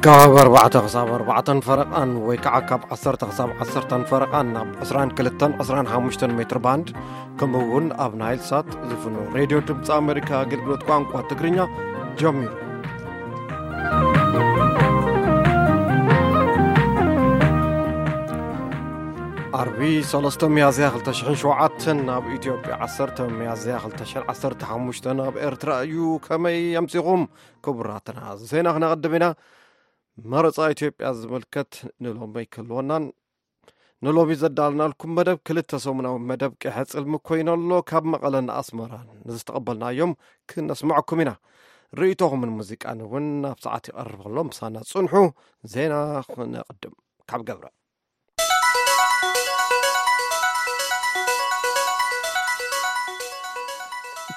ካብ ኣርባዕተ ክሳብ ኣርባዕተን ፈረቓን ወይ ከዓ ካብ ዓሰርተ ክሳብ ዓሰርተን ፈረቓን ናብ ዕስራን ክልተን ዕስራን ሓሙሽተን ሜትር ባንድ፣ ከምኡ እውን ኣብ ናይል ሳት ዝፍኖ ሬድዮ ድምፂ ኣሜሪካ ኣገልግሎት ቋንቋ ትግርኛ ጀሚሩ። ዓርቢ ሰለስተ ሚያዝያ ክልተ ሽሕን ሸውዓተን ኣብ ኢትዮጵያ፣ ዓሰርተ ሚያዝያ ክልተ ሽሕን ዓሰርተ ሓሙሽተን ኣብ ኤርትራ እዩ። ከመይ ኣምሲኹም ክቡራትና? ዜና ክነቐድም ኢና። መረፃ ኢትዮጵያ ዝምልከት ንሎሚ ክህልወናን ንሎሚ ዘዳልናልኩም መደብ ክልተ ሰሙናዊ መደብ ቅሐ ጽልሚ ኮይኑ ኣሎ። ካብ መቐለን ኣስመራን ንዝተቐበልናዮም ክነስምዐኩም ኢና። ርእይቶኹምን ሙዚቃን እውን ኣብ ሰዓት ይቐርብ ኣሎ። ምሳና ጽንሑ። ዜና ክነቕድም ካብ ገብረ።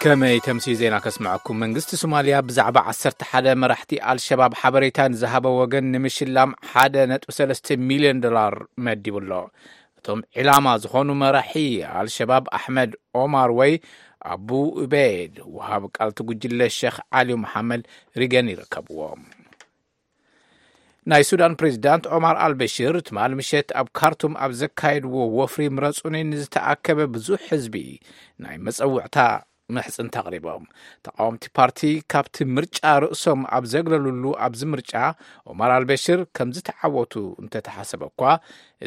ከመይ ተምሲ ዜና ከስምዐኩም። መንግስቲ ሶማልያ ብዛዕባ ዓሰርተ ሓደ መራሕቲ ኣልሸባብ ሓበሬታ ንዝሃበ ወገን ንምሽላም ሓደ ነጥቢ ሰለስተ ሚልዮን ዶላር መዲቡ ኣሎ። እቶም ዒላማ ዝኾኑ መራሒ ኣልሸባብ ኣሕመድ ኦማር ወይ ኣቡ ኡበይድ፣ ወሃብ ቃል እቲ ጉጅለ ሸኽ ዓሊ መሓመድ ሪገን ይርከብዎም። ናይ ሱዳን ፕሬዚዳንት ኦማር ኣልበሽር ትማል ምሸት ኣብ ካርቱም ኣብ ዘካየድዎ ወፍሪ ምረጹኒ ንዝተኣከበ ብዙሕ ህዝቢ ናይ መጸውዕታ ምሕጽንታ ኣቕሪቦም። ተቃወምቲ ፓርቲ ካብቲ ምርጫ ርእሶም ኣብ ዘግለሉሉ ኣብዚ ምርጫ፣ ኦማር ኣልበሽር ከም ዝተዓወቱ እንተተሓሰበ እኳ፣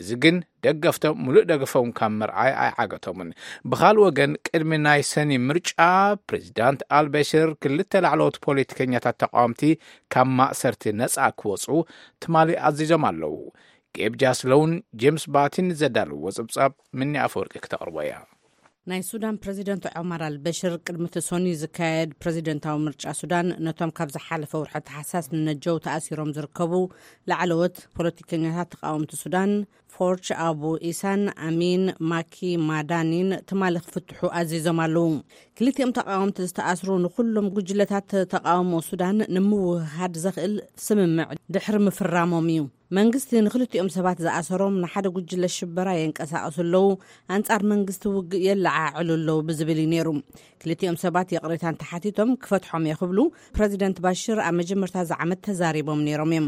እዚ ግን ደገፍቶም ሙሉእ ደገፎም ካብ ምርኣይ ኣይዓገቶምን። ብኻልእ ወገን፣ ቅድሚ ናይ ሰኒ ምርጫ፣ ፕሬዚዳንት ኣልበሽር ክልተ ላዕለዎት ፖለቲከኛታት ተቃወምቲ ካብ ማእሰርቲ ነጻ ክወጹ ትማሊ ኣዚዞም ኣለዉ። ጌብ ጃስሎውን ጄምስ ባቲን ዘዳለዎ ጸብጻብ ምኒ ኣፈወርቂ ክተቕርቦ እያ። ናይ ሱዳን ፕሬዚደንት ዖማር ኣልበሽር ቅድሚ እቲ ሰኑይ ዝካየድ ፕሬዚደንታዊ ምርጫ ሱዳን፣ ነቶም ካብ ዝሓለፈ ወርሒ ተሓሳስ ንነጀው ተኣሲሮም ዝርከቡ ላዕለዎት ፖለቲከኛታት ተቃወምቲ ሱዳን፣ ፎርች ኣቡ ኢሳን ኣሚን ማኪ ማዳኒን፣ ትማሊ ክፍትሑ ኣዚዞም ኣለዉ። ክልቲኦም ተቃወምቲ ዝተኣስሩ ንኩሎም ጉጅለታት ተቃውሞ ሱዳን ንምውህሃድ ዘኽእል ስምምዕ ድሕሪ ምፍራሞም እዩ። መንግስቲ ንክልቲኦም ሰባት ዝኣሰሮም ንሓደ ጉጅለ ሽበራ የንቀሳቐሱ ኣለዉ፣ ኣንጻር መንግስቲ ውግእ የለዓዕሉ ኣለዉ ብዝብል እዩ ነይሩ። ክልቲኦም ሰባት ይቕሬታ እንተሓቲቶም ክፈትሖም እየ ክብሉ ፕረዚደንት ባሽር ኣብ መጀመርታ እዚ ዓመት ተዛሪቦም ነይሮም እዮም።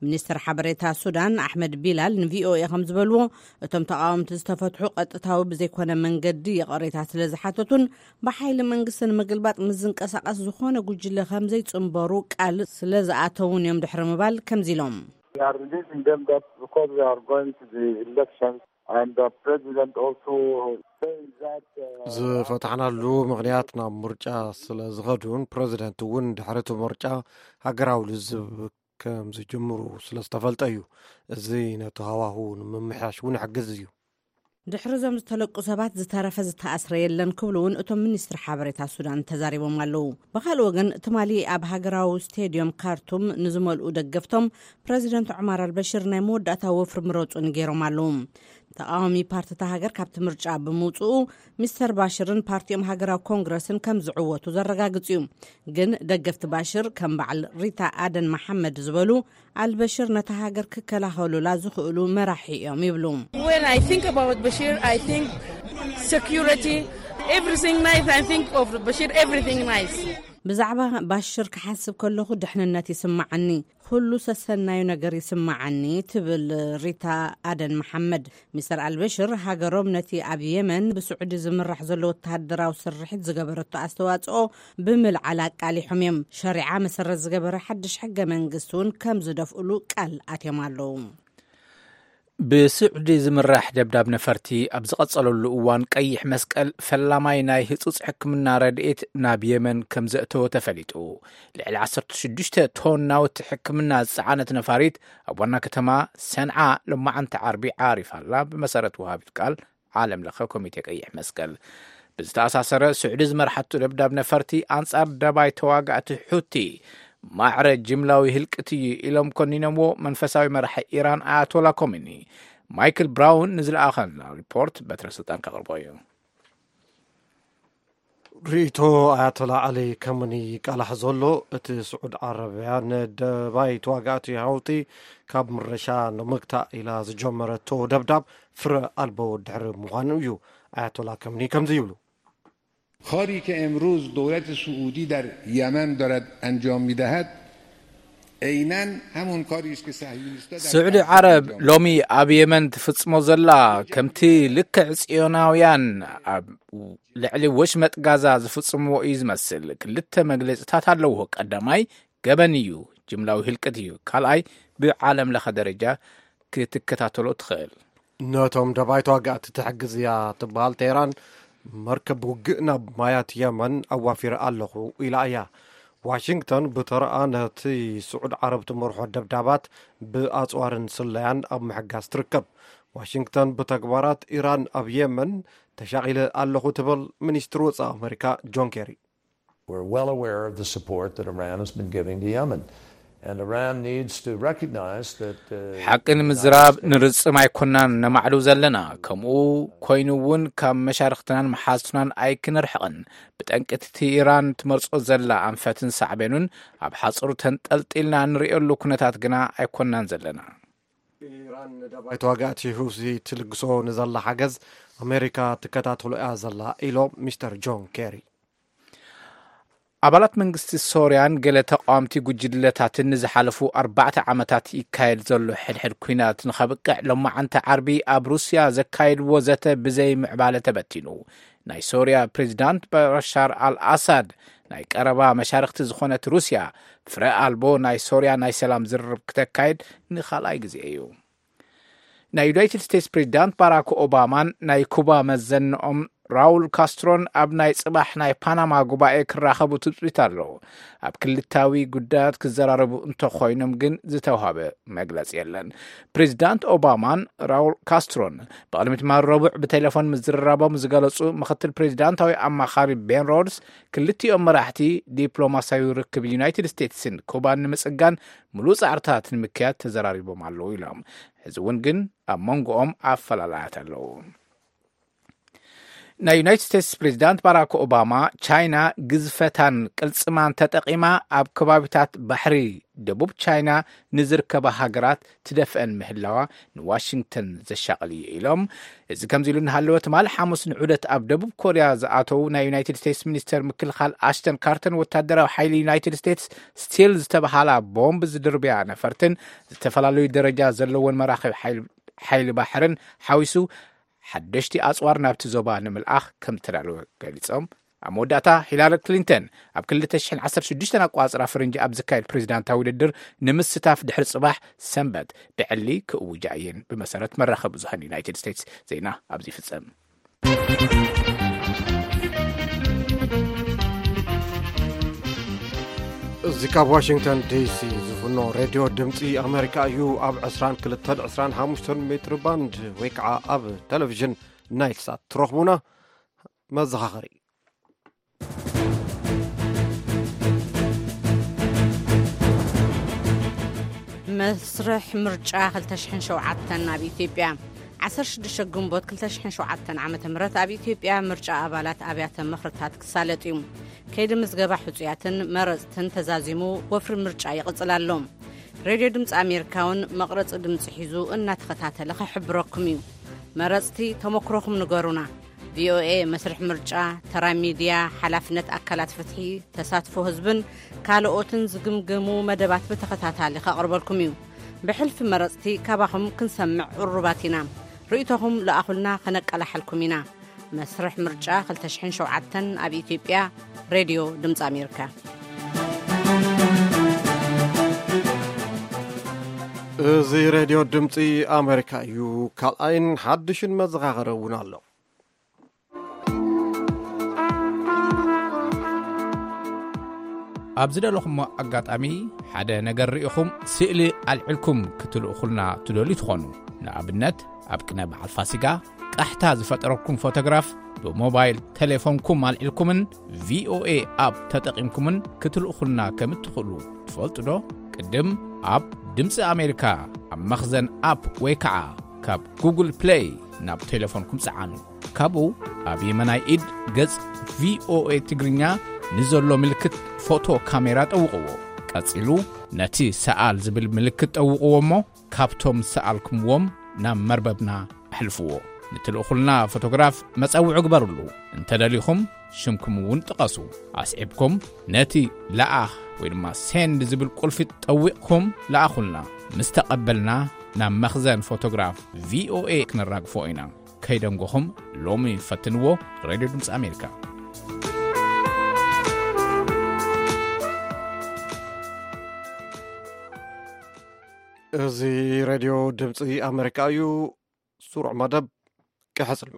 ሚኒስትር ሓበሬታ ሱዳን ኣሕመድ ቢላል ንቪኦኤ ከም ዝበልዎ፣ እቶም ተቓወምቲ ዝተፈትሑ ቀጥታዊ ብዘይኮነ መንገዲ ይቕሬታ ስለ ዝሓተቱን ብሓይሊ መንግስቲ ንምግልባጥ ምስ ዝንቀሳቐስ ዝኾነ ጉጅለ ከም ዘይጽንበሩ ቃል ስለ ዝኣተውን እዮም ድሕሪ ምባል ከምዚ ኢሎም። We are releasing them that because they are going to the elections and the president also saying that, uh, ዝፈታሕናሉ ምኽንያት ናብ ምርጫ ስለ ዝኸዱን ፕረዚደንት እውን ድሕሪ እቲ ምርጫ ሃገራዊ ልዝብ ከም ዝጅምሩ ስለ ዝተፈልጠ እዩ። እዚ ነቲ ሃዋሁ ንምምሕያሽ እውን ይሕግዝ እዩ። ድሕሪ እዞም ዝተለቁ ሰባት ዝተረፈ ዝተኣስረ የለን ክብሉ እውን እቶም ሚኒስትሪ ሓበሬታ ሱዳን ተዛሪቦም ኣለዉ። ብኻልእ ወገን፣ ትማሊ ኣብ ሃገራዊ ስቴድዮም ካርቱም ንዝመልኡ ደገፍቶም ፕረዚደንት ዑማር ኣልበሽር ናይ መወዳእታ ወፍሪ ምረጹኒ ገይሮም ኣለዉ። ተቓዋሚ ፓርቲታ ሃገር ካብቲ ምርጫ ብምውጽኡ፣ ሚስተር ባሽርን ፓርቲኦም ሃገራዊ ኮንግረስን ከም ዝዕወቱ ዘረጋግጽ እዩ። ግን ደገፍቲ ባሽር ከም በዓል ሪታ ኣደን መሓመድ ዝበሉ ኣልበሽር ነታ ሃገር ክከላኸሉላ ዝኽእሉ መራሒ እዮም ይብሉ። When I think about Bashir, I think security, everything nice. I think of Bashir, everything nice. ብዛዕባ ባሽር ክሓስብ ከለኹ ድሕንነት ይስምዓኒ፣ ኩሉ ሰሰናዩ ነገር ይስምዓኒ ትብል ሪታ ኣደን መሓመድ። ሚስተር ኣልበሽር ሃገሮም ነቲ ኣብ የመን ብስዑዲ ዝምራሕ ዘሎ ወተሃደራዊ ስርሒት ዝገበረቶ ኣስተዋጽኦ ብምልዓል ኣቃሊሖም እዮም። ሸሪዓ መሰረት ዝገበረ ሓድሽ ሕገ መንግስቲ እውን ከም ዝደፍእሉ ቃል ኣትዮም ኣለዉ። ብስዑዲ ዝምራሕ ደብዳብ ነፈርቲ ኣብ ዝቐጸለሉ እዋን፣ ቀይሕ መስቀል ፈላማይ ናይ ህጹጽ ሕክምና ረድኤት ናብ የመን ከም ዘእተወ ተፈሊጡ። ልዕሊ ዓሰርተ ሽዱሽተ ቶን ናውቲ ሕክምና ዝጸዓነት ነፋሪት ኣብ ዋና ከተማ ሰንዓ ሎማዓንቲ ዓርቢ ዓሪፋ ኣላ፣ ብመሰረት ወሃቢት ቃል ዓለም ለኸ ኮሚቴ ቀይሕ መስቀል። ብዝተኣሳሰረ፣ ስዑዲ ዝመርሓቱ ደብዳብ ነፈርቲ ኣንጻር ደባይ ተዋጋእቲ ሑቲ ማዕረ ጅምላዊ ህልቅት እዩ ኢሎም ኮኒኖምዎ መንፈሳዊ መራሒ ኢራን ኣያቶላ ኮሚኒ። ማይክል ብራውን ንዝለኣኸልና ሪፖርት በትረ ስልጣን ከቕርቦ እዩ። ርእይቶ ኣያቶላ ዓሊ ከመኒ ይቃላሕ ዘሎ፣ እቲ ስዑድ ዓረብያ ንደባይ ተዋጋእቲ ሃውቲ ካብ ምረሻ ንምግታእ ኢላ ዝጀመረቶ ደብዳብ ፍረ ኣልቦ ድሕሪ ምዃኑ እዩ። ኣያቶላ ከመኒ ከምዚ ይብሉ። کاری که امروز دولت سعودی در یمن دارد انجام می‌دهد، عیناً همون کاریش که صهیونیست‌ها در سعودی غزه عرب انجام ሎሚ ኣብ የመን ትፍጽሞ ዘላ ከምቲ ልክዕ ጽዮናውያን ኣብ ልዕሊ ወሽመጥ ጋዛ ዝፍጽምዎ እዩ ዝመስል። ክልተ መግለጽታት ኣለዎ። ቀዳማይ ገበን እዩ፣ ጅምላዊ ህልቅት እዩ። ካልኣይ ብዓለም ለኸ ደረጃ ክትከታተሎ ትኽእል። ነቶም ደባይ ተዋጋእቲ ትሕግዝ እያ ትበሃል ቴህራን፣ መርከብ ውግእ ናብ ማያት የመን ኣዋፊረ ኣለኹ ኢላ እያ። ዋሽንግተን ብተረኣ ነቲ ስዑድ ዓረብ ትመርሖ ደብዳባት ብኣጽዋርን ስለያን ኣብ ምሕጋዝ ትርከብ። ዋሽንግተን ብተግባራት ኢራን ኣብ የመን ተሻቒለ ኣለኹ ትብል ሚኒስትሪ ወጻኢ ኣመሪካ ጆን ኬሪ። We're well aware of the support that Iran has been giving to Yemen. And Iran needs to recognize that, uh, ሓቂ ንምዝራብ ንርጽም ኣይኮናን ነማዕሉ ዘለና። ከምኡ ኮይኑ እውን ካብ መሻርኽትናን መሓዝትናን ኣይክንርሕቕን። ብጠንቂ እቲ ኢራን ትመርጾ ዘላ ኣንፈትን ሳዕቤኑን ኣብ ሓጹር ተንጠልጢልና ንርእየሉ ኩነታት ግና ኣይኮናን ዘለና። ኢራን ንደባይ ተዋጋእቲ ሁሲ ትልግሶ ንዘላ ሓገዝ ኣሜሪካ ትከታተሎ እያ ዘላ ኢሎም ሚስተር ጆን ኬሪ። ኣባላት መንግስቲ ሶርያን ገለ ተቃወምቲ ጉጅለታትን ንዝሓለፉ ኣርባዕተ ዓመታት ይካየድ ዘሎ ሕድሕድ ኲናት ንኸብቅዕ ሎማዓንቲ ዓርቢ ኣብ ሩስያ ዘካየድዎ ዘተ ብዘይ ምዕባለ ተበቲኑ። ናይ ሶርያ ፕሬዚዳንት በሻር ኣልኣሳድ ናይ ቀረባ መሻርኽቲ ዝኾነት ሩስያ ፍረ ኣልቦ ናይ ሶርያ ናይ ሰላም ዝርርብ ክተካየድ ንኻልኣይ ግዜ እዩ። ናይ ዩናይትድ ስቴትስ ፕሬዚዳንት ባራክ ኦባማን ናይ ኩባ መዘንኦም ራውል ካስትሮን ኣብ ናይ ጽባሕ ናይ ፓናማ ጉባኤ ክራኸቡ ትጽቢት ኣሎ። ኣብ ክልታዊ ጉዳያት ክዘራረቡ እንተኾይኖም ግን ዝተዋህበ መግለጺ የለን። ፕሬዚዳንት ኦባማን ራውል ካስትሮን ብቕድሚ ትማሊ ረቡዕ ብቴሌፎን ምዝርራቦም ዝገለጹ ምኽትል ፕሬዚዳንታዊ ኣማኻሪ ቤን ሮድስ፣ ክልቲኦም መራሕቲ ዲፕሎማሲያዊ ርክብ ዩናይትድ ስቴትስን ኩባን ንምጽጋን ምሉእ ጻዕርታት ንምክያድ ተዘራሪቦም ኣለዉ ኢሎም። ሕዚ እውን ግን ኣብ መንጎኦም ኣፈላላያት ኣለዉ። ናይ ዩናይትድ ስቴትስ ፕሬዚዳንት ባራክ ኦባማ፣ ቻይና ግዝፈታን ቅልጽማን ተጠቒማ ኣብ ከባቢታት ባሕሪ ደቡብ ቻይና ንዝርከባ ሃገራት ትደፍአን ምህላዋ ንዋሽንግተን ዘሻቕል እዩ ኢሎም። እዚ ከምዚ ኢሉ እናሃለወ፣ ትማሊ ሓሙስ ንዑደት ኣብ ደቡብ ኮርያ ዝኣተዉ ናይ ዩናይትድ ስቴትስ ሚኒስተር ምክልኻል ኣሽተን ካርተን፣ ወታደራዊ ሓይሊ ዩናይትድ ስቴትስ ስቲል ዝተባሃላ ቦምብ ዝድርብያ ነፈርትን ዝተፈላለዩ ደረጃ ዘለዎን መራኸቢ ሓይሊ፣ ሓይሊ ባሕርን ሓዊሱ ሓደሽቲ ኣጽዋር ናብቲ ዞባ ንምልኣኽ ከም ዝተዳለወ ገሊጾም። ኣብ መወዳእታ፣ ሂላሪ ክሊንተን ኣብ ክልተ ሽሕን ዓሰርተ ሽዱሽተን ኣቋጽራ ፈረንጂ ኣብ ዝካየድ ፕሬዚዳንታዊ ውድድር ንምስታፍ ድሕሪ ጽባሕ ሰንበት ብዕሊ ክእውጃ እየን፣ ብመሰረት መራኸቢ ብዙሃን ዩናይትድ ስቴትስ። ዜና ኣብዚ ይፍጸም። እዚ ካብ ዋሽንግተን ዲሲ ዝፍኖ ሬድዮ ድምፂ ኣሜሪካ እዩ። ኣብ ዕስራን ክልተን ዕስራን ሓሙሽተን ሜትር ባንድ ወይ ከዓ ኣብ ቴሌቪዥን ናይል ሳት ትረኽቡና። መዘኻኸሪ። መስርሕ ምርጫ ክልተ ሽሕን ሸውዓተን ኣብ ኢትዮጵያ። ዓሰርተ ሽዱሽተ ግንቦት ክልተ ሽሕን ሸውዓተን ዓመተ ምህረት ኣብ ኢትዮጵያ ምርጫ ኣባላት ኣብያተ ምኽርታት ክሳለጥ እዩ። ከይዲ ምዝገባ ሕጹያትን መረጽትን ተዛዚሙ ወፍሪ ምርጫ ይቕጽል ኣሎ። ሬድዮ ድምፂ ኣሜሪካ እውን መቕረጺ ድምፂ ሒዙ እናተኸታተለ ክሕብረኩም እዩ። መረጽቲ ተመክሮኹም ንገሩና። ቪኦኤ መስርሕ ምርጫ፣ ተራ ሚድያ፣ ሓላፍነት ኣካላት ፍትሒ፣ ተሳትፎ ህዝብን ካልኦትን ዝግምገሙ መደባት ብተኸታታሊ ከቕርበልኩም እዩ። ብሕልፊ መረጽቲ ካባኹም ክንሰምዕ ቅሩባት ኢና። ርእይቶኹም ለኣኹልና፣ ከነቀላሕልኩም ኢና። መስርሕ ምርጫ ክልተ ሽሕን ሸውዓተን ኣብ ኢትዮጵያ። ሬድዮ ድምፂ ኣሜሪካ። እዚ ሬድዮ ድምፂ ኣሜሪካ እዩ። ካልኣይን ሓድሽን መዘኻኸሪ እውን ኣሎ። ኣብ ዝደለኹሞ ኣጋጣሚ ሓደ ነገር ርኢኹም ስእሊ ኣልዕልኩም ክትልእኹልና ትደልዩ ትኾኑ። ንኣብነት፣ ኣብ ቅነ በዓል ፋሲጋ ቃሕታ ዝፈጠረኩም ፎቶግራፍ ብሞባይል ቴሌፎንኩም ኣልዒልኩምን ቪኦኤ ኣፕ ተጠቒምኩምን ክትልእኹልና ከም እትኽእሉ ትፈልጡ ዶ? ቅድም ኣብ ድምፂ ኣሜሪካ ኣብ መኽዘን ኣፕ ወይ ከዓ ካብ ጉግል ፕሌይ ናብ ቴሌፎንኩም ጸዓኑ። ካብኡ ኣብ የመናይ ኢድ ገጽ ቪኦኤ ትግርኛ ንዘሎ ምልክት ፎቶ ካሜራ ጠውቕዎ። ቀጺሉ ነቲ ሰኣል ዝብል ምልክት ጠውቕዎ እሞ ካብቶም ዝሰኣልኩምዎም ናብ መርበብና ኣሕልፍዎ። ንትልእኹልና ፎቶግራፍ መጸውዒ ግበርሉ። እንተደሊኹም ሽምኩም እውን ጥቀሱ። ኣስዒብኩም ነቲ ለኣኽ ወይ ድማ ሴንድ ዝብል ቁልፊ ጠዊቕኩም ለኣኹልና። ምስ ተቐበልና ናብ መኽዘን ፎቶግራፍ ቪ ኦ ኤ ክነራግፎ ኢና። ከይደንጎኹም ሎሚ ፈትንዎ። ሬድዮ ድምፂ ኣሜሪካ። እዚ ሬድዮ ድምፂ ኣሜሪካ እዩ። ስሩዕ መደብ ቅሐ ጽልሚ።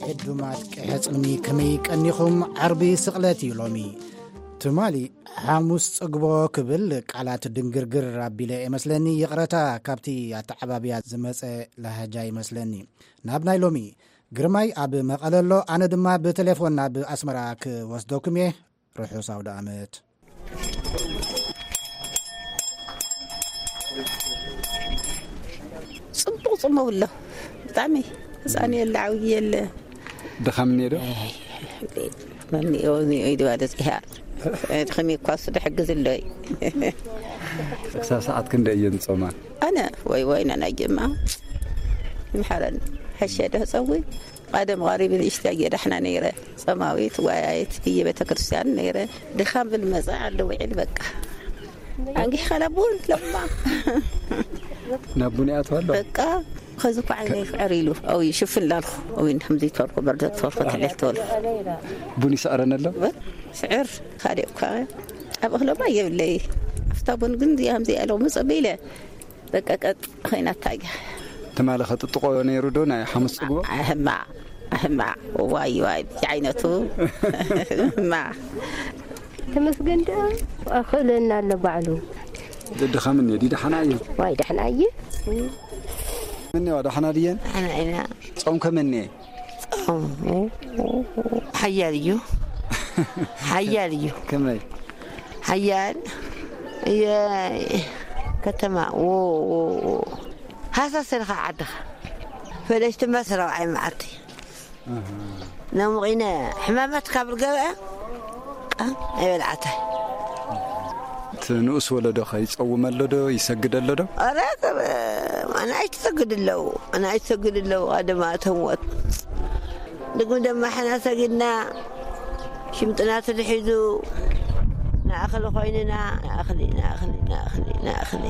ዕዱማት ቅሐ ጽልሚ ከመይ ቀኒኹም? ዓርቢ ስቕለት እዩ ሎሚ። ትማሊ ሓሙስ ጽግቦ ክብል ቃላት ድንግርግር ኣቢለ እመስለኒ። ይቕረታ፣ ካብቲ ኣተዓባብያ ዝመጸ ላህጃ ይመስለኒ። ናብ ናይ ሎሚ። ግርማይ ኣብ መቐለ ኣሎ፣ ኣነ ድማ ብቴሌፎን ናብ ኣስመራ ክወስደኩም እየ። ርሑስ ኣውደ ኣመት። ጽቡቕ ጽምው ኣሎ። ብጣዕሚ ህጻን የለ፣ ዓብዪ የለ። ድኻም እኒኦ ዶ? ኣይ፣ መኒኦ፣ ኒኦ ኢድዋ ደጺሓ። ድኽሚ እኳ እሱ ድሕግዝ ኣሎ እዩ። ክሳብ ሰዓት ክንደይ እየን ዝጾማ? ኣነ፣ ወይ፣ ወይ፣ ናናይ ጀማ። ይምሓረኒ። ሕሸ ዶ ጸዊ? ቀደም ቀሪብ ንእሽተይ እየ ዳሕና ነይረ። ጸማዊት፣ ጓያይት፣ ብየ ቤተ ክርስቲያን ነይረ። ድኻም ብል መጸ፣ ዓዲ ውዒል በቃ። ኣንጊሕካ ናብ ቡን ለማ። ናብ ቡን ይኣትዋ ኣሎ? በቃ፣ ኸዚ እኮ ዓይነይ ፍዕር ኢሉ። ኣው ይሽፍን ላልኩ። ኣው ይን ከምዚ ተወልኩ፣ በርዶ ተወልኩ፣ ተሕሌት ተወልኩ። ቡን ይስዕረን ኣሎ? በ-፣ ስዕር፣ ካልእ እኳ ኣብ እኽለማ የብለይ። ኣፍታ ቡን ግን እዚኣ ከምዚ ኢለ መጸበ ኢለ። በቃ ቀጥ ኸይናታ እያ። ትማሊ ኸጥጥቆ ነይሩ ዶ ናይ ሓሙስ ጽግቦ? ኣህማ፣ ኣህማ፣ ዋይ፣ ዋይ፣ ብዓይነቱ፣ እማ። ተመስገን ደኣ ኣኽእለና ኣሎ ባዕሉ። ድድኻ ምን እየ? ዲድሓና እየ። ዋይ፣ ደሕና እየ። ምን እየዋ፣ ደሕና ድየን? ደሕና ኢና። ጾም ከመን እየ? ጾም ሓያል እዩ። ሓያል እዩ። ከመይ? ሓያል እየ። ከተማ፣ ዎ፣ ዎ፣ ዎ። ሃሳስ ኢልካ ዓድኻ። ፈለሽቲ መስራው ኣይ መዓልቲ። ኣሃ። ነሙቒነ ሕማማት ካብ ዝገበአ ቃ ኣይበልዓታይ። እቲ ንኡስ ወለዶ ከ ይጸውም ኣሎ ዶ? ይሰግድ ኣሎ ዶ? ኧረ፣ ኣናእሽቱ ይሰግድ ኣለዉ። ኣናእሽቱ ይሰግድ ኣለዉ። ኣደማ እቶም ወት። ድግም ደማ ሕና ሰጊድና፣ ሽምጥና ተትሒዙ፣ ንኣኽሊ ኮይንና፣ ንኣኽሊ፣ ንኣኽሊ፣ ንኣኽሊ፣ ንኣኽሊ።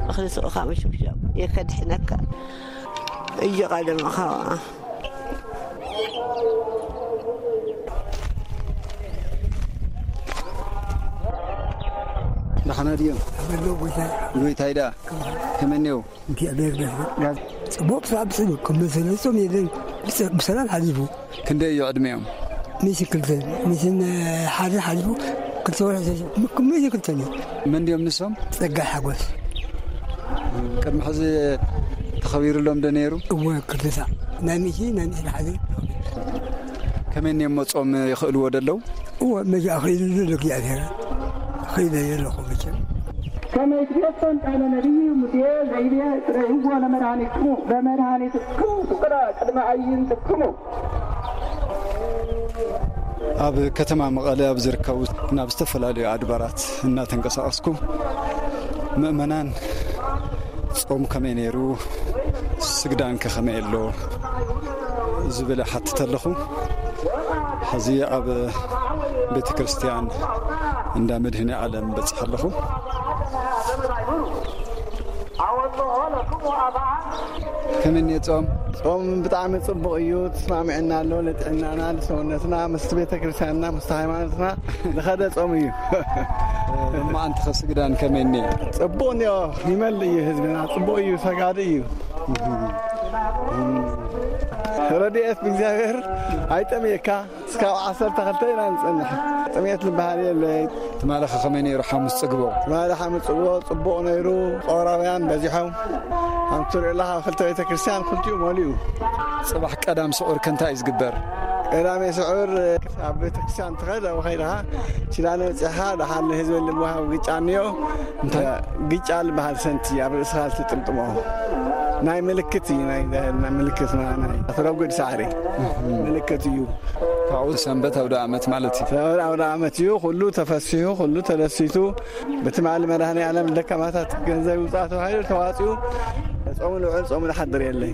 እኽሊ ስቕኻ ምሽብሻብ የከድሕነካ። እጅ ቀደምኻ። ደሓና ድዮም? ኣሎ ጎይታ። ጎይታይ ደኣ ከመይ እኒኦ? እግዚኣብሔር ይመስገን። ጽቡቕ ስራሕ ብጽቡቕ፣ ከም መሰለቶም የለን። ብሰ-፣ ብሰላም ሓሊፉ። ክንደይ እዩ ዕድሜኦም? ሚስን ክልተን፣ ሚስን፣ እ፣ ሓደ ሓሊፉ፣ ክልተ ወርሒ ሰሊፉ። ም-፣ ሚስን ክልተን እዩ። መን ድዮም ንሶም? ጸጋይ ሓጎስ። ቅድሚ ሕዚ ተኸቢሩሎም ዶ ነይሩ? እወ፣ ክልተ ሳዕ። ናይ ሚሲ፣ ናይ ሚስን ሓደ። ከመይ እኒኦም መጾም ይኽእልዎ ዶ ኣለዉ? እወ፣ መጃ ኸይዱ ዘሎ እግዚኣብሔር። ኸይደ የለኹ መቸም። ከመይ ትቤጸን ቃለ ነቢይ ሙሴ ዘይቤ ጥረይዎ ለመድኃኒትክሙ፣ ለመድኃኒትክሙ ትቁራ ቅድመ ኣዕይንትክሙ። ኣብ ከተማ መቐለ ኣብ ዝርከቡ ናብ ዝተፈላለዩ ኣድባራት እናተንቀሳቐስኩ ምእመናን ጾም ከመይ ነይሩ፣ ስግዳንከ ከመይ ኣሎ ዝብል እሓትት ኣለኹ። ሕዚ ኣብ ቤተ ክርስቲያን እንዳ መድህኔ ዓለም በጽሕ ኣለኹ። ከመይ እኒኦ ጾም? ጾም ብጣዕሚ ጽቡቕ እዩ። ተስማሚዕና ኣሎ ንጥዕናና፣ ንሰውነትና፣ ምስቲ ቤተ ክርስቲያንና፣ ምስቲ ሃይማኖትና ዝኸደ ጾም እዩ። እሞ ኣንቲ ከስግዳን ከመይ እኒኦ? ጽቡቕ እኒኦ፣ ይመልእ እዩ ህዝብና፣ ጽቡቕ እዩ፣ ሰጋዲ እዩ። ረድኤት ብእግዚኣብሔር ኣይጠምየካ። እስካብ ዓሰርተ ክልተ ኢና ንጸንሕ። ጥሜት ዝበሃል የለይ። ትማሊ ከ ከመይ ነይሩ ሓሙስ ጽግቦ? ትማሊ ሓሙስ ጽግቦ ጽቡቕ ነይሩ። ጾራውያን በዚሖም። ከምቲ ትሪኦ ኣለኻ፣ ክልተ ቤተ ክርስቲያን ክልቲኡ መሊኡ። ጽባሕ ቀዳም ስዑር ከ እንታይ እዩ ዝግበር? ቀዳሜ ስዑር ኣብ ቤተ ክርስቲያን ትኸድ፣ ኣብኡ ከይድኻ ኪዳነ በጺሕኻ፣ ደሓር ንህዝቢ ልምሃብ ግጫ እኒኦ። እንታይ? ግጫ ዝበሃል ሰንቲ ኣብ ርእስኻ ዝጥምጥሞ ናይ ምልክት እዩ፣ ናይ፣ ናይ ምልክት፣ ናይ፣ ናይ ተረጉድ ሳዕሪ ምልክት እዩ። ካብኡ ሰንበት ኣውደ ኣመት ማለት እዩ። ሰንበት ኣውደ ኣመት እዩ። ኩሉ ተፈሲሑ፣ ኩሉ ተደሲቱ። ብትማሊ መድኃኔ ዓለም ደካማታት ገንዘብ ይውፃእ ተባሂሉ ተዋፂኡ። ጾም ንውዕል ጾም ንሓድር የለይ።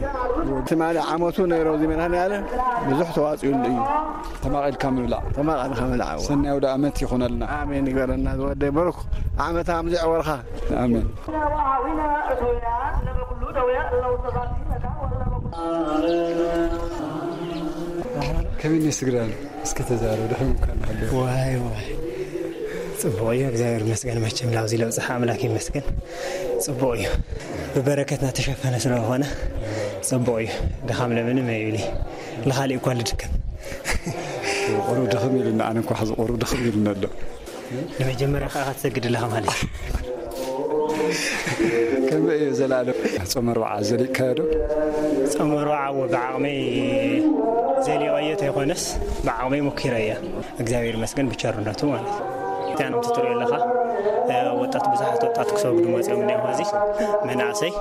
ትማሊ ዓመቱ ነይሮ እዚ መድሃኔ ዓለም ብዙሕ ተዋጽኡሉ እዩ። ተማቒልካ ምብላዕ። ተማቒልካ ምብላዕ፣ እወ። ሰናይ ኣውደ ኣመት ይኹነልና። ኣሜን ይግበረና ዝወደይ፣ ብሩክ ዓመት ኣምዚዕ ወርኻ። ኣሜን። ከመይ ነይ ስግዳን? እስኪ ተዛረብ፣ ድሕሪ ምኳን ሃለ። ዋይ፣ ዋይ። ጽቡቕ እዩ፣ እግዚኣብሔር ይመስገን። መቸም ላብዚ ለብጽሓ ኣምላክ ይመስገን። ጽቡቕ እዩ። ብበረከትና ተሸፈነ ስለሆነ ጽቡቕ እዩ። ድኻም ለምንም ኣይብሊ። ንኻሊእ እኳ ልድከም። ቁሩብ ድኽም ኢሉና፣ ኣነ እንኳ ሕዚ ቁሩብ ድኽም ኢሉና ኣሎ። ንመጀመርያ ከዓ ክትሰግድ ኣለኻ ማለት እዩ። ከመይ እዩ ዘላለም? ጾም ኣርብዓ ዘሊቕካዮ ዶ? ጾም ኣርብዓ እወ፣ ብዓቕመይ ዘሊቐዮ ተይኮነስ፣ ብዓቕመይ ሞኪረያ። እግዚኣብሔር ይመስገን ብቸርነቱ ማለት እዩ። እቲኣን ከምቲ ትሪኦ ኣለኻ፣ እ፣ ወጣት፣ ብዙሓት ወጣት ክሰግዱ መፂኦም እኒአው። እዚ መናእሰይ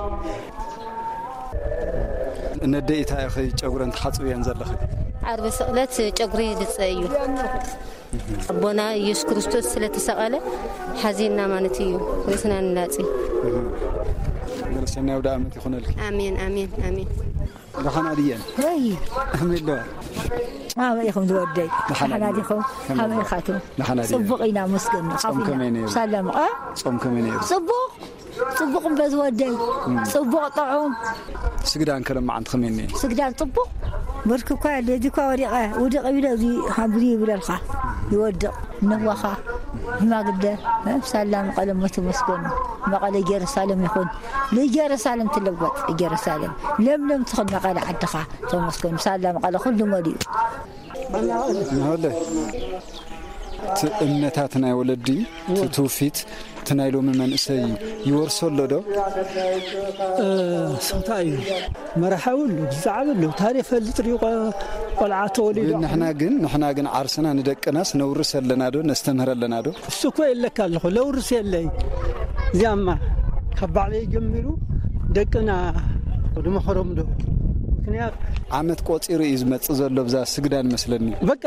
ነደይ እንታይ ኢኺ ጨጉረን ትሓፅብየን ዘለኺ? ዓርቢ ስቕለት ጨጉሪ ልፀ እዩ። ኣቦና ኢየሱስ ክርስቶስ ስለተሰቐለ ሓዚንና ማለት እዩ። ርእስና ንላጺ። በል ሰናይ ኣውደ ዓመት ይኹነልኪ። ኣሜን፣ ኣሜን፣ ኣሜን። ደሓና ድየን? ወይ። ኣሜን ዶ? ኣበይ ኢኹም ዝወደይ? ደሓና ደሓና ድየን? ዲኹም? ከመይ? ኣበይ ኢኻቱ? ደሓና ድየን? ጽቡቕ ኢና መስገን። ጾም ከመይ ነይሩ? ሰላም፣ እ? ጾም ከመይ ነይሩ? ጽቡቕ። ጽቡቕ እምበ ዝወደይ፣ ጽቡቕ ጥዑም። ስግዳን ከለማዓንቲ ከመይ እኒኤ? ስግዳን ጽቡቕ። ብርክ እኳ የለ፣ እዚ እኳ ወዲቐ፣ ውድቕ ይብለ፣ እዚ ሃብዚ ይብለልካ፣ ይወድቕ፣ ነዋኻ፣ ሽማግለ፣ እ፣ ሳላ መቐለ ሞት ተመስገኑ። መቐለ ኢየሩሳሌም ይኹን፣ ንኢየሩሳሌም ትለወጥ፣ ኢየሩሳሌም ለምለም ትኹን መቐለ ዓድኻ፣ ተመስገኑ። ሳላ መቐለ ኩሉ መሊኡ። ናሆለ፣ እቲ እምነታት ናይ ወለዲ፣ እቲ ትውፊት፣ እቲ ናይ ሎሚ መንእሰይ ይወርሶ ኣሎ ዶ? እ፣ ስንታ እዩ? መራሓዊ ኣሎ፣ ብዛዕባ ኣሎ፣ ታሪኽ ፈልጥ ድዩ? ቆ-፣ ቆልዓ ተወሊዱ። ግን ንሕና ግን፣ ንሕና ግን ዓርስና ንደቅናስ ነውርስ ኣለና ዶ? ነስተምህር ኣለና ዶ? እሱ እኮ የለካ ኣለኹ፣ ለውርስ የለይ። እዚኣማ ካብ ባዕለይ ጀሚሩ ደቅና ድመኸሮም ዶ? ምክንያት ዓመት ቆጺሩ እዩ ዝመጽእ ዘሎ ብዛ ስግዳን መስለኒ። በቃ፣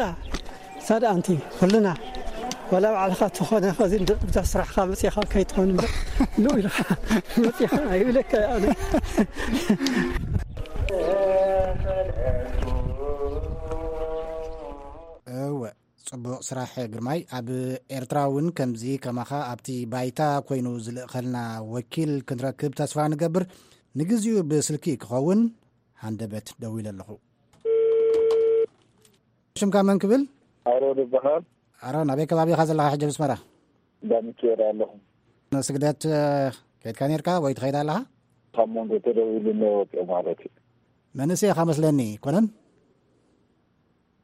ሳዳ ኣንቲ፣ ኩልና፣ ዋላ ባዕልኻ ትኾነ ኸዚ እንደ-፣ ብዛ ስራሕኻ መጺኻ ከይትኾን እምበር፣ ንኡ ኢልኻ መጺኻ ኣይብለካ ኣነ። እወ፣ ጽቡቕ ስራሕ ግርማይ። ኣብ ኤርትራ እውን ከምዚ ከማኻ ኣብቲ ባይታ ኮይኑ ዝልእኸልና ወኪል ክንረክብ ተስፋ ንገብር። ንግዚኡ ብስልኪ ክኸውን ሃንደበት ደዊለ ኣለኹ። ሽምካ መን ክብል? ኣሮን ይበሃል። ኣሮን፣ ኣበይ ከባቢ ኢኻ ዘለኻ ሕጂ ኣብ ኣስመራ? እንዳ ሚካኤል ኣለኹ። ንስግደት፣ እ፣ ከይድካ ኔርካ ወይ ትኸይድ ኣለኻ? ካብ መንጎ ተደዊሉ እኒኦ ወፂኦ ማለት እዩ። መንእሰይ ኢኻ መስለኒ፣ ኮነን?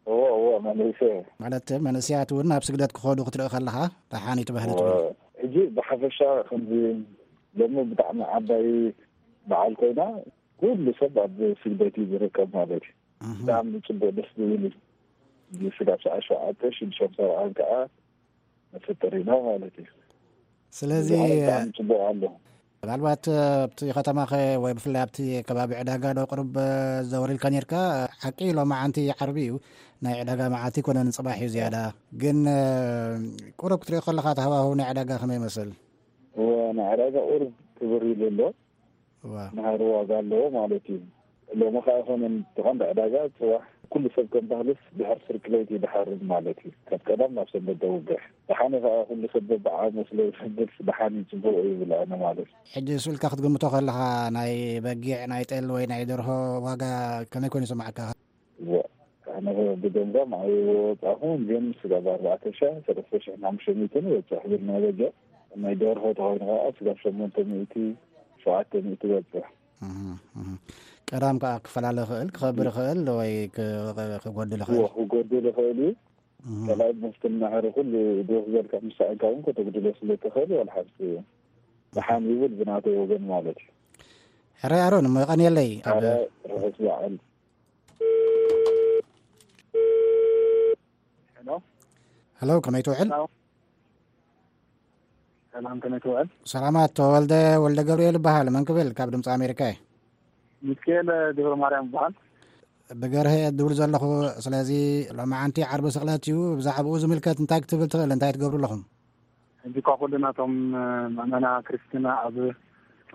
እዎ፣ እዎ፣ መንእሰይ። ማለት መንእሰያት እውን ናብ ስግደት ክኸዱ ክትርኢ ከለኻ ደሓን እዩ ትበህል እዎ፣ ትብል። ሕጂ ብሓፈሻ ከምዚ ሎሚ ብጣዕሚ ዓባይ በዓል ኮይና ኩሉ ሰብ ኣብ ስግደት እዩ ዝርከብ ማለት እዩ። እህ። ብጣዕሚ ጽቡቕ ደስ ዝብል እዩ። ስጋብ ሰዓት ሸውዓተ ሽዱሽተ ሰብዓን ከዓ መፈጠሪና ማለት እዩ። ስለዚ፣ እዚ ከዓ ብጣዕሚ ጽቡቕ ኣሎ። ምናልባት ኣብቲ ከተማኸ ወይ ብፍላይ ኣብቲ ከባቢ ዕዳጋ ዶ ቅሩብ ዘወር ኢልካ ኔርካ? ሓቂ ሎማዓንቲ ዓርቢ እዩ፣ ናይ ዕዳጋ መዓልቲ ኣይኮነን፣ ጽባሕ እዩ ዝያዳ። ግን ቁሩብ ክትሪኦ ከለኻ እቲ ሃዋህው ናይ ዕዳጋ ከመይ ይመስል? እወ፣ ናይ ዕዳጋ ቁሩብ ክብር ኢሉ ኣሎ። እዋ። ናህሪ ዋጋ ኣለዎ ማለት እዩ። ሎሚ ከኣ ይኾነ እቲ ቀንዲ ዕዳጋ ጽባሕ ኩሉ ሰብ ከም ባህልስ ድሕሪ ስርክለይት እዩ ድሓርድ ማለት እዩ። ካብ ቀዳም ናብ ሰንበት ደውግሕ። ደሓን እዩ ከኣ ኩሉ ሰብ በብዓቕሙ ስለ ዝሕግዝ ደሓን እዩ ጽቡቕ እዩ ይብል ኣነ ማለት እዩ። ሕጂ ስኢልካ ክትግምቶ ከለኻ ናይ በጊዕ፣ ናይ ጤል ወይ ናይ ደርሆ ዋጋ ከመይ ኮይኑ ይስምዓካ? እዋ፣ ኣነ ብገምጋም ኣይወጻኹን፣ ግን ስጋብ ኣርባዕተ ሺሕ፣ ሰለስተ ሺሕን ሓሙሽተ ሚእትን ይበጽሕ ዝብል በጊዕ። ናይ ደርሆ ተኾይኑ ከኣ ስጋብ ሸሞንተ ሚእቲ፣ ሸውዓተ ሚእቲ ይበጽሕ። እህ፣ እህ። ቀዳም ከኣ ክፈላለ ይኽእል፣ ክኸብር ይኽእል ወይ ክ-፣ ክጎድል እዎ፣ ይኽእል። ክጎድል ይኽእል እዩ። እህ። ካልኣይ ምስቲ ናህሪ ኩሉ ድርኽ ዘልካ ምስ ሰኣንካ እውን ከተጉድሎ ስለ ትኽእል፣ ዋላ ሓንቲ ደሓን ይብል ብናተይ ወገን ማለት እዩ። ሕራይ ኣሮን፣ እሞ የቐንየለይ። ኣብ ኣረ፣ ርሑስ በዓል። ሄሎ። ሄሎ፣ ከመይ ትውዕል? ሄሎ። ሰላም፣ ከመይ ትውዕል? ሰላማት፣ ተወልደ ወልደ ገብርኤል እበሃል። መን ክብል? ካብ ድምፂ ኣሜሪካ እየ። ሚካኤል ገብረ ማርያም እበሃል። ብገርሀ እየ ዝድውል ዘለኹ። ስለዚ ሎማዓንቲ ዓርቢ ስቕለት እዩ። ብዛዕባኡ ዝምልከት እንታይ ክትብል ትኽእል? እንታይ ትገብሩ ኣለኹም? ሕጂ እኳ ኩልና እቶም ምእመና ክርስትና ኣብ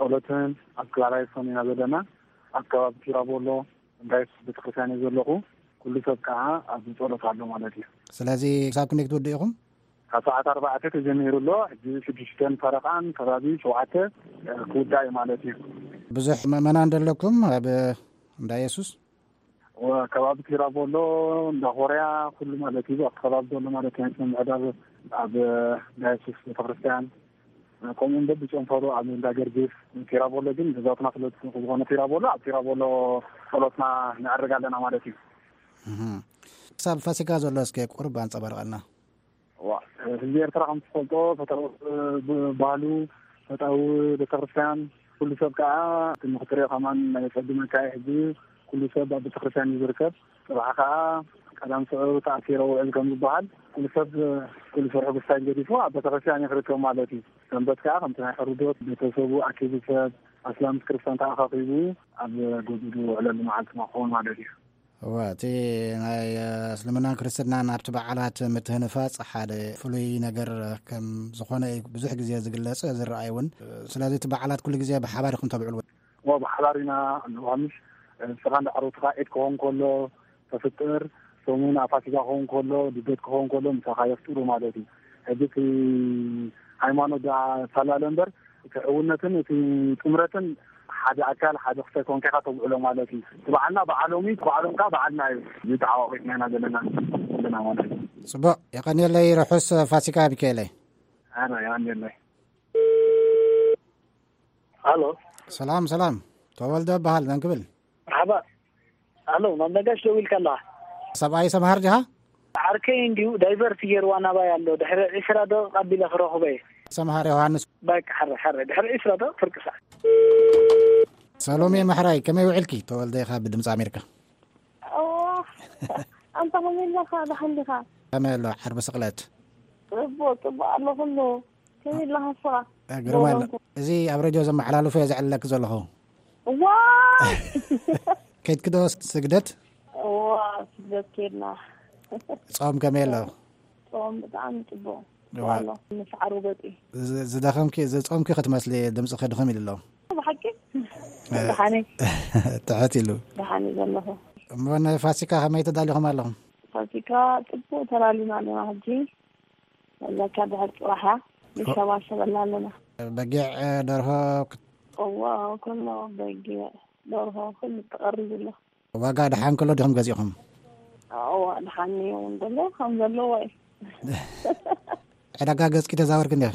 ጸሎትን ኣብ ክላራይሶን ኢና ዘለና። ኣብ ከባቢ ቲራቦሎ እንዳ የሱስ ቤተክርስትያን እየ ዘለኹ። ኩሉ ሰብ ከዓ ኣብ ጸሎት ኣሎ ማለት እዩ። ስለዚ ክሳብ ክንደይ ክትውድኡ ኢኹም? ካብ ሰዓት ኣርባዕተ ተጀሚሩ ኣሎ። ሕጂ ሽዱሽተን ፈረቓን ከባቢ ሸውዓተ ክውዳእ እዩ ማለት እዩ። ብዙሕ ምእመናን ደለኩም ኣብ እንዳ የሱስ? ወ-፣ ከባቢ ቲራቦሎ፣ እንዳ ኮርያ፣ ኩሉ ማለት እዩ። ኣብቲ ከባቢ ዘሎ ማለት እዩ። ናይ ስነ ምዕዳብ ኣብ እንዳ የሱስ ቤተክርስትያን፣ ከምኡ እውን በብጨንፈሩ ኣብ እንዳ ገርግስ፣ ቲራቦሎ ግን ገዛውትና ስለ ዝኾነ ቲራቦሎ፣ ኣብ ቲራቦሎ ጸሎትና ነዕርግ ኣለና ማለት እዩ። እህ። ክሳብ ፋሲካ ዘሎ እስከ ቁሩብ ኣንጸባርቐልና። ዋ፣ ህዝቢ ኤርትራ ከም ትፈልጦ ፈታዊ ብ-፣ ባህሉ፣ ፈታዊ ቤተክርስትያን፣ ኩሉ ሰብ ከዓ እቲ ንክትሪኦ ከማን ናይ ጸግመካ እዩ። ሕጂ ኩሉ ሰብ ኣብ ቤተክርስትያን እዩ ዝርከብ። ጽባሕ ከዓ ቀዳም ስዑር ተኣኪረ ውዕል ከም ዝበሃል፣ ኩሉ ሰብ ኩሉ ስርሑ ብስታይል ገዲፉ ኣብ ቤተክርስትያን እዩ ክርከብ ማለት እዩ። ሰንበት ከዓ ከምቲ ናይ ሕሩዶት ቤተሰቡ ኣኪቡ ሰብ ኣስላም ምስ ክርስቲያን ተኣኻኺቡ ኣብ ገዝኡ ዝውዕለሉ መዓልቲ ክኸውን ማለት እዩ። እወ፣ እቲ ናይ፣ እ፣ እስልምናን ክርስትናን ኣብቲ በዓላት ምትህንፋጽ ሓደ ፍሉይ ነገር ከም ዝኾነ እዩ ብዙሕ ግዜ ዝግለጽ፣ ዝረኣይ እውን። ስለዚ እቲ በዓላት ኩሉ ግዜ ብሓባር ኢኹም ተብዕልዎ? እወ፣ ብሓባር ኢና። ሎሃምሽ፣ እ፣ ንስኻ እንዳ ዓሮትኻ ዒድ ክኸውን ከሎ ተፍጥር፣ ሰሙን ኣብ ፋሲካ ክኸውን ከሎ፣ ልደት ክኸውን ከሎ ምሳኻ የፍጥሩ ማለት እዩ። ሕጂ እቲ ሃይማኖት ደኣ ሳላለ እምበር፣ እቲ ሕውነትን እቲ ጥምረትን ሓደ ኣካል ሓደ ክሳይ ኮንካ ኢኻ ተብዕሎ ማለት እዩ። እቲ በዓልና በዓሎም እዩ፣ እቲ በዓሎም ከዓ በዓልና እዩ። እዚ ተዓዋቒትና ኢና ዘለና፣ ዘለና ማለት እዩ። ጽቡቕ፣ የቐንየለይ፣ ርሑስ ፋሲካ ሚካኤለይ። ኣነ የቐንየለይ። ሃሎ። ሰላም፣ ሰላም። ተወልደ እበሃል፣ መን ክብል? መርሓባ። ሃሎ፣ ናብ ነጋሽ ደዊልካ ኣለኻ? ሰብኣይ ሰምሃር ዲኻ? ዓርከይ እንዲዩ ዳይቨርት ገይርዋ ናባይ ኣሎ። ድሕሪ ዒስራ ደቂቕ ኣቢለ ክረኽቦ እየ። ሰምሃር ዮሃንስ። በቃ፣ ሕረ፣ ሕረ። ድሕሪ ዒስራ ደቂቕ ፍርቂ ሰዓት። ሰሎሜ ማሕራይ፣ ከመይ ውዒልኪ? ተወልደ ኢኻ ብድምፂ ኣሜሪካ። ኦ፣ ኣንታ ከመይ ኣለኻ? ደሓን ዲኻ? ከመይ ኣሎ? ዓርቢ ስቕለት። ጽቡቕ፣ ጽቡቕ ኣሎ ኩሉ። ከመይ ኣለኻ ንስኻ? እ፣ ግርም ኣሎ። ዶሮንኮ። እዚ ኣብ ሬድዮ ዘመሓላልፎ እየ ዘዕልለኪ ዘለኹ። ዋይ! ከይድኪ ዶ ስግደት? እዋ፣ ስግደት ከይድና። ጾም ከመይ ኣሎ? ጾም ብጣዕሚ ጽቡቕ። እዋ። ኣሎ፣ ምስ ዓርቢ ገጺ። ዝ-፣ ዝደኸምኪ፣ ዝጾምኪ ክትመስሊ ድምጽኺ ድኽም ኢሉ ኣሎ። ብሓቂ? እ፣ ደሓነይ። ትሕት ኢሉ። ደሓነይ ዘለኹ። እሞ ንፋሲካ ከመይ ተዳሊኹም ኣለኹም? ፋሲካ ጽቡቕ ተላሊና ኣለና ሕጂ። ወላካ ድሕር ጽባሕ እያ። ንሸባሸበላ ኣለና። በጊዕ፣ ደርሆ ክት- እዋ፣ ኩሎ በጊዕ፣ ደርሆ፣ ኩሉ ተቐሪቡ ኣሎ። ዋጋ ደሓን ከሎ ዲኹም ገዚእኹም? እዋ፣ ደሓን እዩ እውን ዘሎ፣ ከም ዘለዎ እዩ። ዕዳጋ ገዝኪ ተዛወርኪ እንዲያ?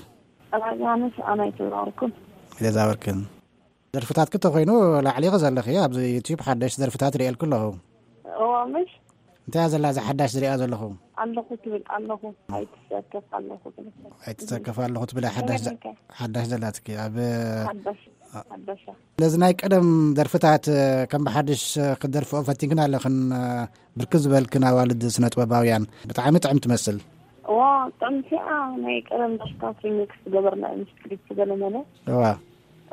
ዕዳጋ ኣነስ ኣነ ኣይተዛወርኩን። ኣይተዛወርክን። ደርፍታትኪ ተኾይኑ ላዕሊኺ ዘለኺ፣ ኣብዚ ዩትዩብ ሓደሽ ደርፍታት ርእየልኪ ኣለኹ። እዋ፣ ምሽ? እንታይ እያ ዘላ እዛ ሓዳሽ ዝሪኣ ዘለኹ? ኣለኹ ትብል ኣለኹ። ኣይትሰከፍ ኣለኹ ትብል። ኣይትሰከፍ ኣለኹ ትብል ሓዳሽ ዘ-፣ ሓዳሽ ዘላትኪ። ኣብ ሓዳሽ፣ ሓዳሽ። ነዚ ናይ ቀደም ደርፍታት ከም ብሓድሽ ክትደርፍኦ ፈቲንክን ኣለኽን፣ ብርክት ዝበልክን ኣዋልድ ስነ ጥበባውያን። ብጣዕሚ ጥዕም ትመስል። እዋ፣ ጥዕምቲ እያ። ናይ ቀደም ደርፍታት ሪሚክስ ገበርና ምስ ክሊፕ ገለ መለ። እዋ።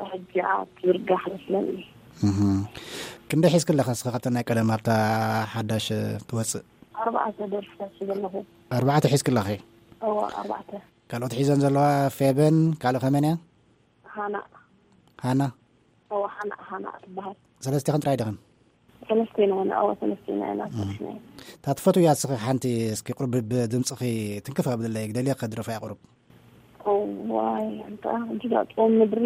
ሕጂ ኣብ ትብርጋሕ መስለኒ። እህ። ክንደይ ሒዝኪ ኣለኺ እስኺ ካብተን ናይ ቀደም ኣብታ ሓዳሽ ትወፅእ? ኣርባዕተ ደርፍታት ሒዘ ኣለኹ። ኣርባዕተ ሒዝኪ ኣለኺ? እዋ፣ ኣርባዕተ። ካልኦት ሒዘን ዘለዋ ፌበን፣ ካልእ ከመን እያ? ሃና። ሃና? እዋ፣ ሃና፣ ሃና ትበሃል። ሰለስቲኽን ጥራይ ዲኽን? ሰለስቴና ኢና፣ እዋ፣ ሰለስቴና ኢና፣ እም። ሰለስቴና ኢና። እታ ትፈትውያ እስኺ ሓንቲ እስኪ ቁሩብ ብ-፣ ብድምፅኺ ትንክፍ ኣብለለይ፣ ግደልየ ከድረፋያ ቁሩብ። እዋይ፣ ኣንታ፣ እንጂ ዳ ጾም ምድሪ፣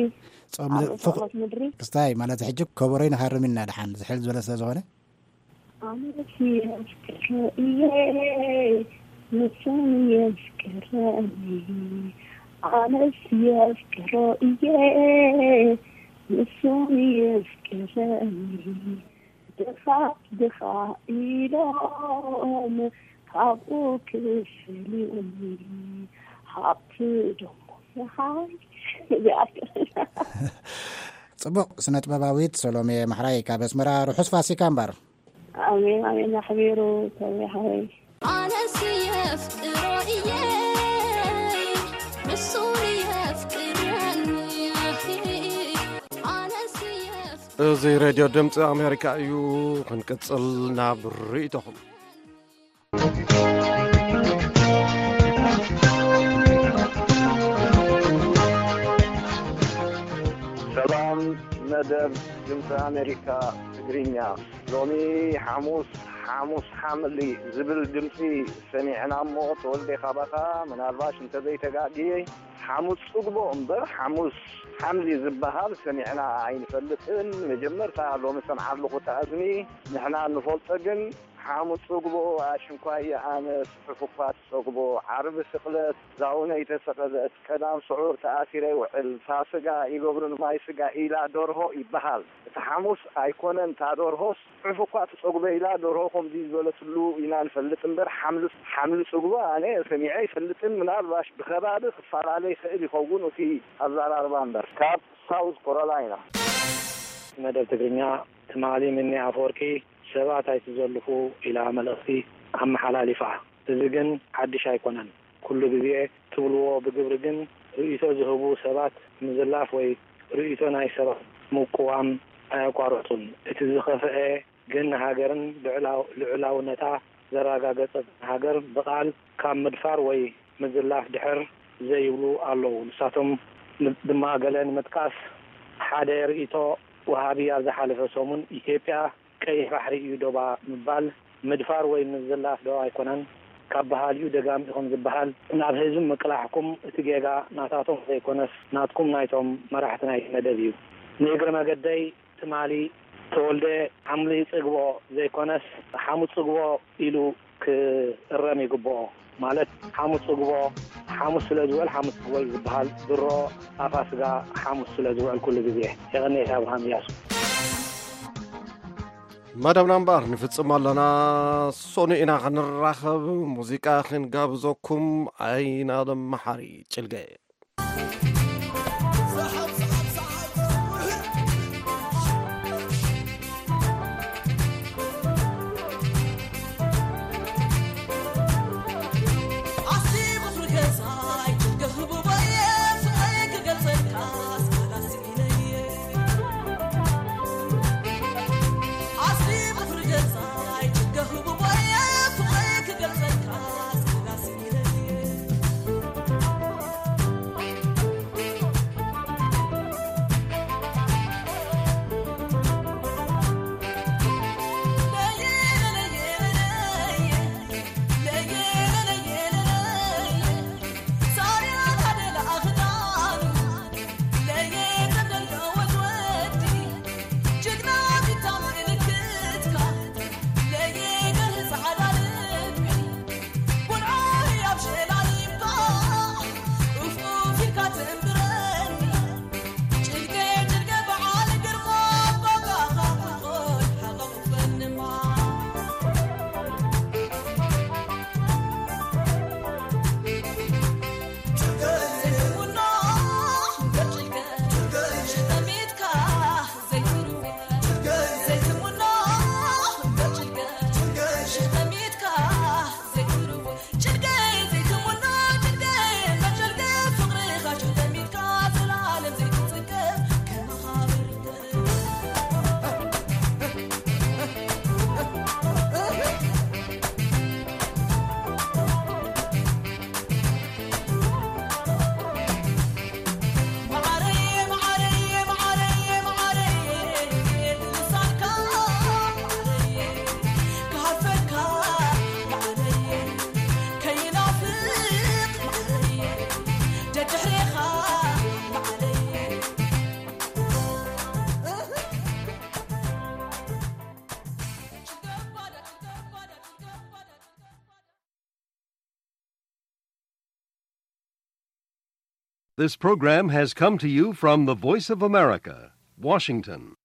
ጾም ኣብ ምድሪ፣ ፍቕ-፣ ጸሎት ምድሪ። ክስታይ ማለት ሕጂ ከበሮይ ንሃርም ኢና ደሓን፣ ዝሕል ዝበለ ስለ ዝኾነ። ኣነስ የፍቅሮ እየ፣ ንሱን የፍቅረኒ። ኣነስ የፍቅሮ እየ፣ ንሱን የፍቅረኒ። ድኻ ድኻ ኢሎም ካብኡ ክፈልዩኒ፣ ሃብቲ ደሞ ይሃብ። እዚኣ ጽቡቕ፣ ስነ ጥበባዊት ሰሎሜ ማሕራይ ካብ ኣስመራ፣ ርሑስ ፋሲካ እምበር። ኣሜን፣ ኣሜን፣ ኣሕቢሩ ሰሎሜ ሓወይ። ኣነስ የፍቅሮ እየ፣ ንሱ የፍቅረኒ። ኣነስ የፍ- እዚ ሬድዮ ድምፂ ኣሜሪካ እዩ። ክንቅፅል ናብ ርእይቶኹም። ሰላም፣ መደብ ድምፂ ኣሜሪካ ትግርኛ። ሎሚ ሓሙስ፣ ሓሙስ ሓምሊ ዝብል ድምፂ ሰሚዕና እሞ፣ ተወልደ ካባኻ ምናልባሽ እንተዘይተጋግየ፣ ሓሙስ ጽግቦ እምበር ሓሙስ ሓምሊ ዝበሃል ሰሚዕና ኣይንፈልጥን። መጀመርታ ሎሚ ሰምዓ ኣለኹ እቲ ኣዝሚ። ንሕና እንፈልጦ ግን ሓሙስ ጽግቦ ኣሽንኳየ ኣነ፣ ጽሑፍ እኳ ትጸግቦ፣ ዓርቢ ስቕለት ዛውነይ ተሰቐለት፣ ቀዳም ስዑር ተኣሲረ ይውዕል፣ ፋስጋ ይገብሩ ንማይ ስጋ ኢላ ደርሆ ይበሃል። እቲ ሓሙስ ኣይኮነን፣ እታ ደርሆስ ጽሑፍ እኳ ትጸግቦ ኢላ ደርሆ ከምዚ ዝበለትሉ ኢና ንፈልጥ እምበር፣ ሓምሊ፣ ሓምሊ ጽግቦ ኣነ ሰሚዐ ኣይፈልጥን። ምናልባሽ ብኸባቢ ክፈላለ ይኽእል ይኸውን እቲ ኣዘራርባ እምበር። ካብ ሳውዝ ኮሮላይና። መደብ ትግርኛ ትማሊ ሚኒ ኣፈወርቂ ሰባት ኣይትዘልፉ ኢላ መልእኽቲ ኣመሓላሊፋ። እዚ ግን ሓድሽ ኣይኮነን። ኩሉ ግዜ ትብልዎ ብግብሪ ግን ርእይቶ ዝህቡ ሰባት ምዝላፍ ወይ ርእይቶ ናይ ሰባት ምቅዋም ኣየቋርጹን። እቲ ዝኸፍአ ግን ንሃገርን ልዑላው-፣ ልዑላውነታ ዘረጋገጸት ሃገር ብቓል ካብ ምድፋር ወይ ምዝላፍ ድሕር ዘይብሉ ኣለዉ። ንሳቶም ን-፣ ድማ ገለ ንምጥቃስ፣ ሓደ ርእይቶ ወሃቢ ኣብ ዝሓለፈ ሰሙን ኢትዮጵያ ቀይሕ ባሕሪ እዩ ዶባ ምባል ምድፋር ወይ ምዝላፍ ዶ ኣይኮነን? ካብ በሃሊኡ ደጋሚኹም ዝበሃል ናብ ህዝቢ ምቅላሕኩም እቲ ጌጋ ናታቶም ዘይኮነስ ናትኩም ናይቶም መራሕቲ ናይቲ መደብ እዩ። ንእግረ መገደይ ትማሊ ተወልደ ሓምሊ ጽግቦ ዘይኮነስ ሓሙስ ጽግቦ ኢሉ ክእረም ይግብኦ። ማለት ሓሙስ ጽግቦ ሓሙስ ስለ ዝውዕል ሓሙስ ጽግቦ እዩ ዝበሃል። ድሮ ኣፋስጋ ሓሙስ ስለ ዝውዕል ኩሉ ግዜ። የቐንየት ኣብርሃም እያሱ። መደብና እምበኣር ንፍጽም ኣለና። ሶኑ ኢና ክንራኸብ። ሙዚቃ ክንጋብዘኩም። ኣይናለም መሓሪ ጭልገ። This program has come to you from the Voice of America, Washington.